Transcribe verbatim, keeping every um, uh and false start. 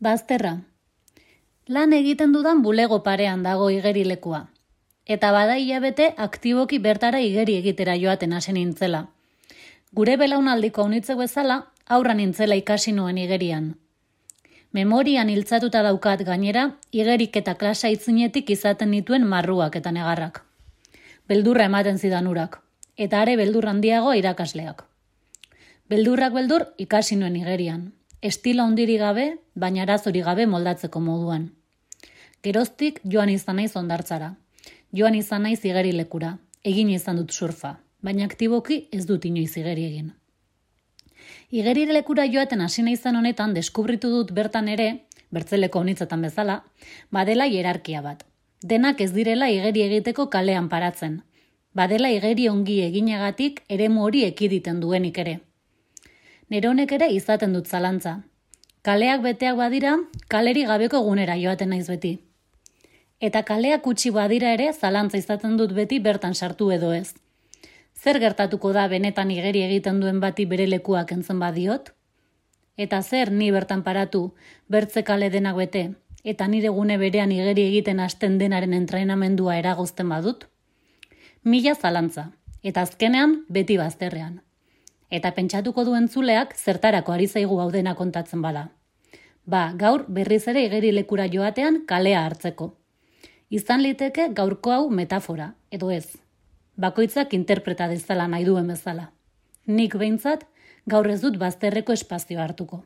Bazterra. Lan egiten dudan bulego parean dago igerilekua. Eta bada hilabete aktiboki bertara igeri egitera joaten hasi nintzela. Gure belaunaldiko haunitzek bezala, aurra nintzela ikasi nuen igerian. Memorian hiltzatuta daukat gainera, igerik eta klasa itzinetik izaten nituen marruak eta negarrak. Beldurra ematen zidan urak, eta are beldur handiago irakasleak. Beldurrak beldur ikasi nuen igerian. Estilo handiri gabe, baina arazori gabe moldatzeko moduan. Geroztik joan izan naiz hondartzara. Joan izan naiz igerilekura. Egin izan dut surfa, baina aktiboki ez dut inoiz igeri egin. Igerilekura joaten hasi naizan honetan deskubritu dut bertan ere, bertzeleko honitzetan bezala, badela hierarkia bat. Denak ez direla igeri egiteko kalean paratzen. Badela igeri ongi eginagatik eremu hori ekiditen duenik ere. Neronek ere izaten dut zalantza. Kaleak beteak badira, kaleri gabeko egunera joaten naiz beti. Eta kaleak utzi badira ere zalantza izaten dut beti bertan sartu edo ez. Zer gertatuko da benetan igeri egiten duen bati bere lekuak entzen badiot? Eta zer ni bertan paratu, bertze kale denak bete, eta nire gune berean igeri egiten hasten denaren entrenamendua eragozten badut? Mila zalantza, eta azkenean beti bazterrean. Eta pentsatuko duen zuleak zertarako ari zaigu hau dena kontatzen bada. Ba, gaur berriz ere igerilekura joatean kalea hartzeko. Izan liteke gaurko hau metafora, edo ez. Bakoitzak interpreta dezala nahi duen bezala. Nik behintzat gaur ez dut bazterreko espazioa hartuko.